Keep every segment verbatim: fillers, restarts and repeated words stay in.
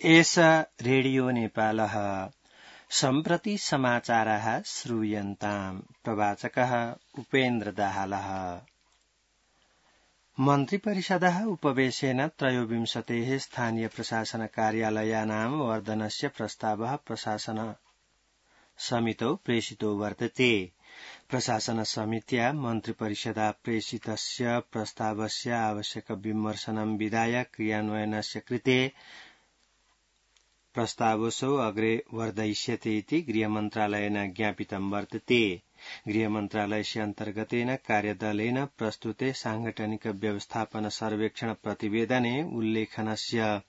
एषा रेडियो नेपालः सम्प्रति समाचाराः श्रूयन्ताम्। प्रवाचकः उपेन्द्र दाहालः। मन्त्रिपरिषदः उपवेशेन त्रयोविंशतेः स्थानीय प्रशासन कार्यालयानां वर्धनस्य प्रस्तावः प्रशासन समितौ प्रेषितो वर्तते। प्रशासन समित्या मन्त्रिपरिषदा प्रेषितस्य प्रस्तावस्य आवश्यक विमर्शनं विधाय क्रियान्वयनस्य कृते प्रस्तावसौ अग्रे वर्धयिष्यते इति गृहमन्त्रालयेन ज्ञापितं वर्तते। गृहमन्त्रालयस्य अन्तर्गतेन कार्यदलेन प्रस्तुते सांगठनिक व्यवस्थापन सर्वेक्षण प्रतिवेदने उल्लेखनस्य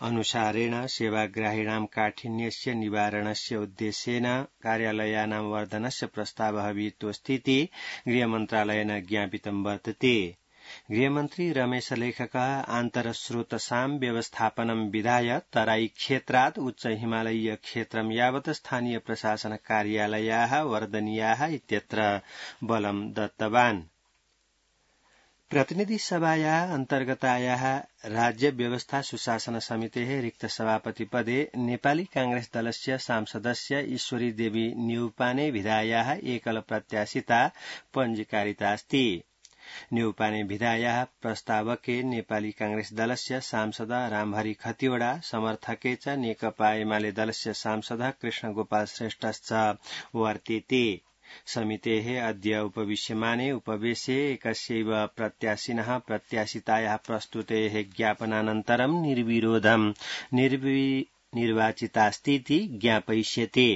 अनुसारेण सेवाग्राहीणां काठिन्यस्य निवारणस्य उद्देश्येन कार्यालयानां वर्धनस्य प्रस्तावः विहितोऽस्तीति गृहमन्त्रालयेन ज्ञापितं वर्तते। गृहमन्त्री रमेश लेखकः आन्तरस्रोतसां व्यवस्थापनं विधाय तराई क्षेत्रात् उच्च हिमालयीय क्षेत्रं यावत् स्थानीय प्रशासन कार्यालयाः वर्धनीयाः इत्यत्र बलं दत्तवान्। प्रतिनिधि सभायाः अन्तर्गतायाः राज्य व्यवस्था सुशासन समितेः रिक्त सभापति पदे नेपाली कांग्रेस दलस्य सांसदस्य ईश्वरी देवी न्यौपाने विधायाः एकल प्रत्याशिता पञ्जीकारिता अस्ति। न्यौपाने विधायाः प्रस्तावके नेपाली कांग्रेस दलस्य सांसद रामहरि खतिवड़ा समर्थके च नेकपा एमाले दलस्य सांसद कृष्णगोपाल श्रेष्ठश्च वर्तेते। समितेः अद्य उपविश्यमाने उपवेशे एकस्यैव प्रत्याशिनः प्रत्याशितायाः प्रस्तुतेः ज्ञापनानन्तरं निर्विरोधं निर्वाचितास्तीति ज्ञापयिष्यते।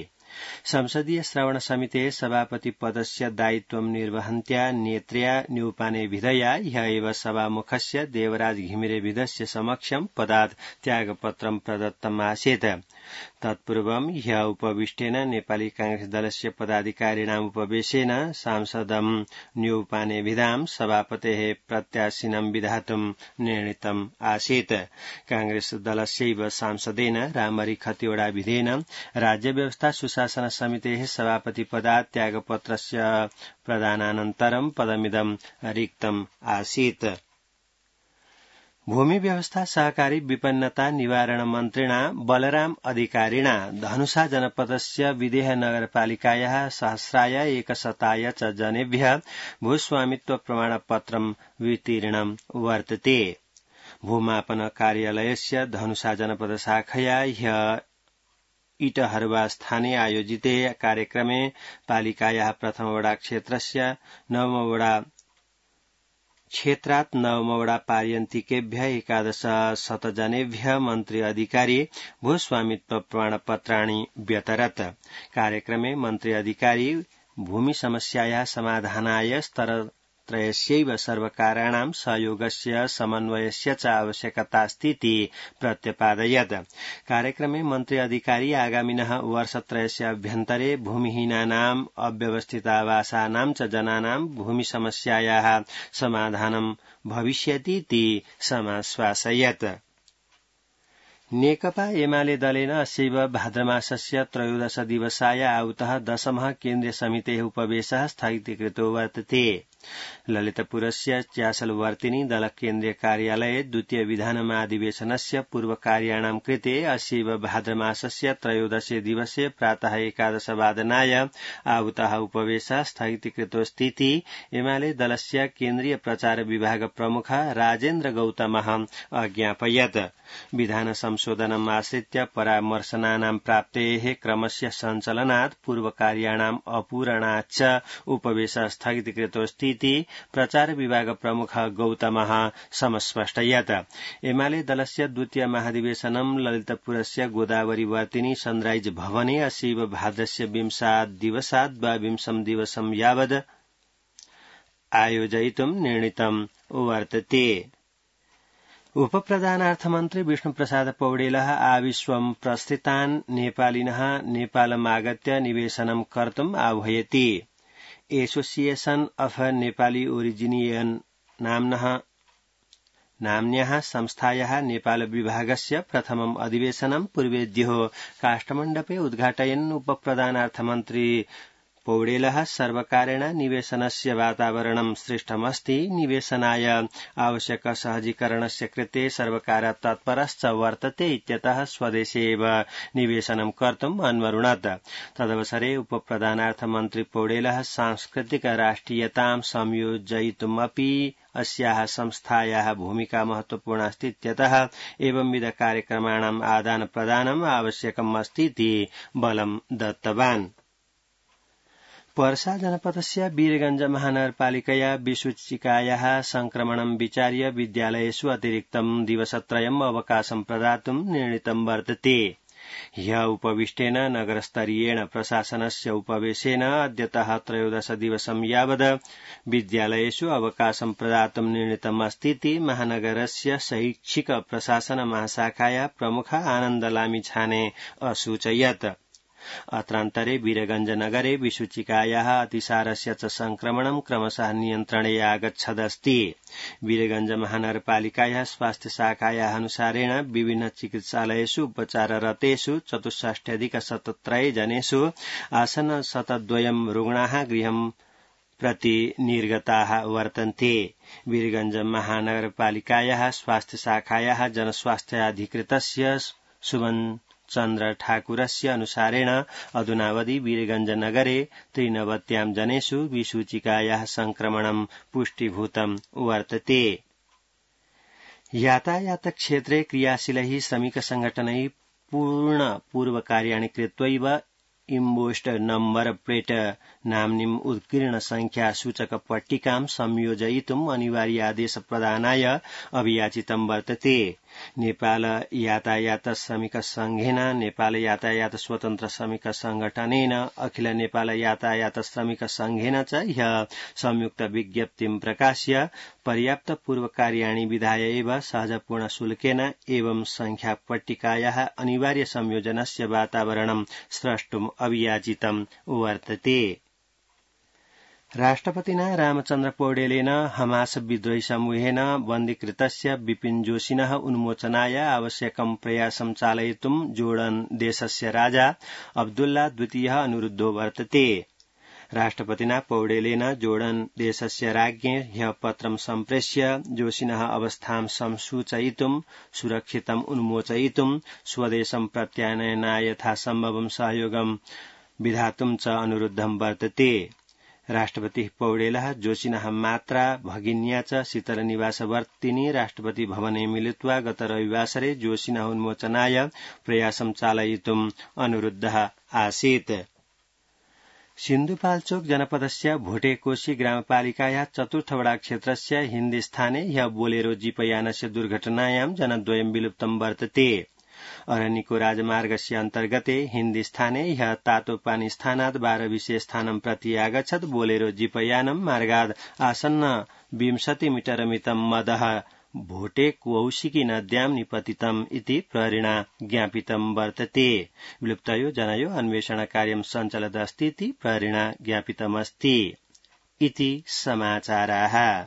संसदीय श्रवण समितेः सभापति पदस्य दायित्वं निर्वहन्त्या नेत्र्या न्यौपाने विधया ह्य एव सभामुखस्य देवराज घिमिरे विधस्य समक्षं पदात् त्यागपत्रं प्रदत्तम् आसीत्। तत्पूर्वं ह्य उपविष्टेन नेपाली कांग्रेस दलस्य पदाधिकारिणाम् उपवेशेन सांसदं न्यौपाने विधां सभापतेः प्रत्याशिनं विधातुं निर्णीतम् आसीत्। कांग्रेस दलस्यैव सांसदेन रामहरि खतिवड़ा विधेन राज्य व्यवस्था सुशासन समितेः सभापति पदात् त्यागपत्रस्य प्रदानानन्तरं पदमिदं रिक्तम् आसीत्। भूमि व्यवस्था सहकारी विपन्नता निवारण मन्त्रिणा बलराम अधिकारिणा धनुषा जनपदस्य विदेह नगरपालिकायाः सहस्राय एकशताय च जनेभ्यः भूस्वामित्व प्रमाणपत्रं वितीर्णं वर्तते। भूमापन कार्यालयस्य धनुषा जनपद शाखया ह्य इटहरुवा स्थाने आयोजिते कार्यक्रमे पालिकायाः प्रथमवडा क्षेत्रस्य नवमवडा क्षेत्रात् नवमवडा पार्यन्तिकेभ्यः एकादश शतजनेभ्यः मन्त्री अधिकारी भूस्वामित्व प्रमाणपत्राणि व्यतरत्। कार्यक्रमे मन्त्री अधिकारी भूमि समस्यायाः समाधानाय स्तरत्रयस्यैव सर्वकाराणां सहयोगस्य समन्वयस्य च आवश्यकतास्तीति प्रत्यपादयत्। कार्यक्रमे मन्त्री अधिकारी आगामिनः वर्षत्रयस्य अभ्यन्तरे भूमिहीनानाम् अव्यवस्थितावासानां च जनानां भूमि समस्यायाः समाधानं भविष्यतीति समाश्वासयत्। नेकपा एमाले दलेन अस्यैव भाद्रमासस्य त्रयोदश दिवसाय आहुतः दशमः केन्द्रीय समितेः उपवेशः स्थगितीकृतो वर्तते। ललितपुरस्य च्यासलवर्तिनी दल केन्द्रीय कार्यालये द्वितीय विधानमाधिवेशनस्य पूर्वकार्याणां कृते अस्यैव भाद्रमासस्य त्रयोदशे दिवसे प्रातः एकादशवादनाय आहुतः उपवेशः स्थगितीकृतोऽस्तीति एमाले दलस्य केन्द्रीय प्रचार विभाग प्रमुख राजेन्द्र गौतमः अज्ञापयत्। विधान संशोधनम् आश्रित्य परामर्शनानां प्राप्तेः क्रमस्य सञ्चलनात् पूर्वकार्याणाम् अपूरणाच्च उपवेशः स्थगितीकृतोऽस्तीति प्रचार विभाग प्रमुख गौतमः समस्पष्टयत्। एमाले दलस्य द्वितीय महाधिवेशनं ललितपुरस्य गोदावरीवर्तिनी सनराइज भवने अस्यैव भाद्रस्य विंशात् दिवसात् द्वाविंशं दिवसं यावद् आयोजयितुं निर्णीतं वर्तते। उपप्रधानार्थमन्त्री विष्णुप्रसाद पौडेलः आविश्वं प्रस्थितान् नेपालिनः नेपालमागत्य निवेशनं कर्तुम् आह्वयति। एसोसिएशन अफ नेपाली ओरिजिनियन नाम्नः नाम्न्याः संस्थायाः नेपाल विभागस्य प्रथमम् अधिवेशनं पूर्वेद्यो काष्ठमण्डपे उद्घाटयन् उपप्रधानार्थमन्त्री पौडेलः सर्वकारेण निवेशनस्य वातावरणं सृष्टमस्ति, निवेशनाय आवश्यक सहजीकरणस्य कृते सर्वकारः तत्परश्च वर्तते इत्यतः स्वदेशे एव निवेशनं कर्तुम् अन्वरुणत्। तदवसरे उपप्रधानार्थमन्त्री पौडेलः सांस्कृतिक राष्ट्रियतां संयोजयितुमपि अस्याः संस्थायाः भूमिका महत्वपूर्णा अस्ति इत्यतः एवंविध कार्यक्रमाणाम् आदान प्रदानम् आवश्यकम् अस्ति इति बलं दत्तवान्। पर्सा जनपदस्य वीरगंज महानगरपालिकया विसूचिकायाः संक्रमणं विचार्य विद्यालयेषु अतिरिक्तं दिवसत्रयम् अवकाशं प्रदातुं निर्णीतं वर्तते। ह्यः उपविष्टेन नगरस्तरीयेण प्रशासनस्य उपवेशेन अद्यतः त्रयोदश दिवसं यावद् विद्यालयेषु अवकाशं प्रदातुं निर्णीतम् अस्तीति महानगरस्य शैक्षिक प्रशासन महाशाखाया प्रमुख आनन्दलामी छाने असूचयत्। अत्रान्तरे वीरगंज नगरे विसूचिकायाः अतिसारस्य च संक्रमणं क्रमशः नियन्त्रणे आगच्छदस्ति। वीरगंज महानगरपालिकायाः स्वास्थ्य शाखायाः अनुसारेण विभिन्न चिकित्सालयेषु उपचाररतेषु चतुष्षष्ट्यधिक शतत्रय जनेषु आसन्न शतद्वयं रुग्णाः गृहं प्रति निर्गताः वर्तन्ते। वीरगंज महानगरपालिकायाः स्वास्थ्य शाखायाः जनस्वास्थ्याधिकृतस्य सुमन चन्द्र ठाकुरस्य अनुसारेण अधुनावधि वीरगंज नगरे त्रिनवत्यां जनेषु विसूचिकायाः संक्रमणं पुष्टीभूतं वर्तते। यातायात क्षेत्रे क्रियाशीलैः श्रमिक संघटनैः पूर्ण पूर्वकार्याणि कृत्वैव इम्बोस्ड नम्बर प्लेट नाम्नीम् उत्कीर्ण संख्या सूचक पट्टिकां संयोजयितुम् अनिवार्य आदेश प्रदानाय अभियाचितं वर्तते। नेपाल यातायात श्रमिक संघेन, नेपाल यातायात स्वतन्त्र श्रमिक संगठनेन, अखिल नेपाल यातायात श्रमिक संघेन च ह्यः संयुक्त विज्ञप्तिं प्रकाश्य पर्याप्त पूर्वकार्याणि विधाय एव सहजपूर्ण शुल्केन एवं संख्या पट्टिकायाः अनिवार्य संयोजनस्य वातावरणं स्रष्टुम् अभियाचितं वर्तते। राष्ट्रपतिना रामचन्द्र पौडेलेन हमास विद्रोही समूहेन बन्दीकृतस्य विपिन जोशिनः उन्मोचनाय आवश्यकं प्रयासं चालयितुं जोर्डन देशस्य राजा अब्दुल्ला द्वितीयः अनुरुद्धो वर्तते। राष्ट्रपतिना पौडेलेन जोर्डन देशस्य राज्ञे ह्यः पत्रं सम्प्रेष्य जोशिनः अवस्थां संसूचयितुं, सुरक्षितम् उन्मोचयितुं, स्वदेशं प्रत्यानयनाय यथासम्भवं सहयोगं विधातुं च अनुरुद्धं वर्तते। राष्ट्रपति पौडेलः जोशिनः मात्रा भगिन्या च शीतलनिवासवर्तिनी राष्ट्रपति भवने मिलित्वा गत रविवासरे जोशिनः उन्मोचनाय प्रयासं चालयितुम् अनुरुद्धः आसीत्। सिन्धुपाल्चोक जनपदस्य भोटेकोशी ग्रामपालिकायाः चतुर्थवडा क्षेत्रस्य हिन्दीस्थाने ह्यः बोलेरो जीपयानस्य दुर्घटनायां जनद्वयं विलुप्तं वर्तते। अरनिको राजमार्गस्य अन्तर्गते हिन्दीस्थाने ह्यः तातोपानी स्थानात् बारविशे-स्थानं प्रति आगच्छत् बोलेरो जीपयानं मार्गाद् आसन्न विंशति मीटरमितं मदः भोटेकौशिकी नद्यां निपतितम् इति प्रहरिणा ज्ञापितं वर्तते। विलुप्तयो जनयो अन्वेषणकार्यं सञ्चलदस्ति इति प्रहरिणा ज्ञापितमस्ति। इति समाचाराः।